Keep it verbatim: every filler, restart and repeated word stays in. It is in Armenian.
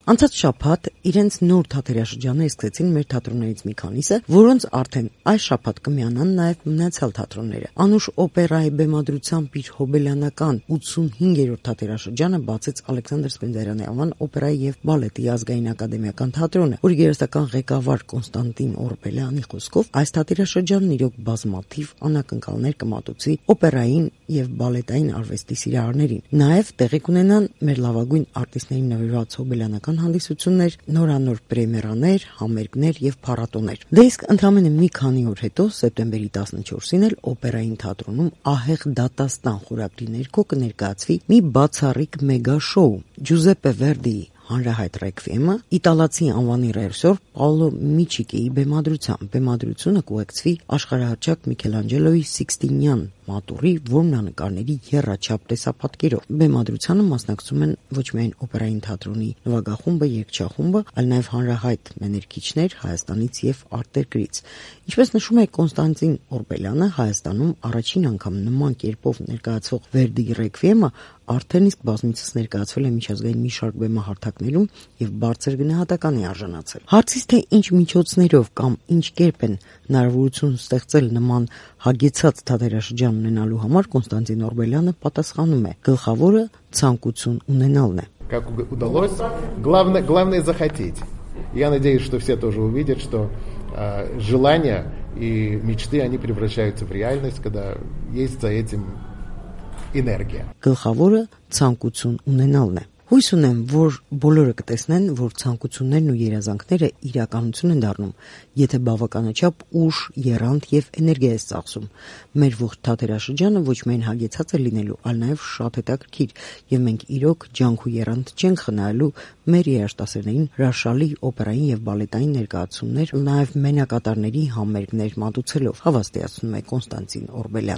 Անցած շաբաթ իրենց նոր թատերաշրջանը սկսեցին մեր թատրոններից մի քանիսը, որոնց արդեն այս շաբաթ կմիանան նաև մնացյալ թատրոնները։ Անուշ օպերայի բեմադրությամբ իր հոբելյանական ութսունհինգերորդ թատերաշրջանը բացեց Ալեքսանդր Սպենդիարյանի անվան օպերայի եւ բալետի ազգային ակադեմիական թատրոնը, որի գերստական ղեկավար Կոնստանտին Օրբելյանի խոսքով այս թատերաշրջանն իրոք բազմաթիվ անակնկալներ կմատուցի օպերային եւ բալետային արվեստի սիրահարներին։ Նաև տեղի կունենան մեր լավագույն արտիստներին նվիրված հոբելյանական հանդիսություններ, նորանոր պրեմիերաներ, համերգներ եւ փառատոներ։ Դե իսկ ընդամենը մի քանի օր հետո, սեպտեմբերի տասնչորսին էլ օպերային թատրոնում ահեղ դատաստան խորագրի ներքո կներկայացվի մի բացառիկ մեգա շոու՝ Ջուզեպպե Վերդիի հանրահայտ ռեկվիեմը իտալացի անվանի ռեժիսոր Պաոլո Միչիկիի բեմադրությամբ։ Բեմադրությունը կուղեկցվի աշխարհահռչակ Միքելանջելոյի Սիկստինյան մատուռի որմնանկարների եռաչափ տեսապատկերով։ Բեմադրությանը մասնակցում են ոչ միայն օպերային թատրոնի նվագախումբը, երգչախումբը, այլ նաև հանրահայտ մեներկիչներ Հայաստանից եւ արտերկրից։ Ինչպես նշում է Կոնստանտին Օրբելյանը, Հայաստանում առաջին անգամ նման կերպով ներկայացվող Վերդիի ռեկվիեմը արդեն իսկ բազմիցս ներկայացվել է միջազգային մի շարք բեմահարթակներում եւ բարձր գնահատականի արժանացել։ Հարցից թե ինչ միջոցներով կամ ինչ կերպ են հնարավորություն ստեղծել նման հագեցած թատերաշրջան ունենալու համար, Կոնստանտին Օրբելյանը պատասխանում է. գլխավորը ցանկություն ունենալն է։ Как удалось, главное, главное захотеть. Я надеюсь, что все тоже увидят, что э, желания и мечты, они превращаются в реальность, когда есть за этим էներգիա։ Գլխավորը ցանկություն ունենալն է։ Հույս ունեմ, որ բոլորը կտեսնեն, որ ցանկություններն ու երազանքները իրականություն են դառնում, եթե բավականաչափ ուժ, եռանդ եւ էներգիա է ծախսում։ Մեր ողջ թատերաշրջանը ոչ միայն հագեցած է լինելու, այլ նաեւ շատ հետաքրքիր, եւ մենք իրոք ջանք ու եռանդ չենք խնայելու մեր երաժշտասերներին հրաշալի օպերային եւ բալետային ներկայացումներ, նաեւ մենակատարների համերգներ մատուցելով, հավաստիացնում է Կոնստանտին Օրբելյանը։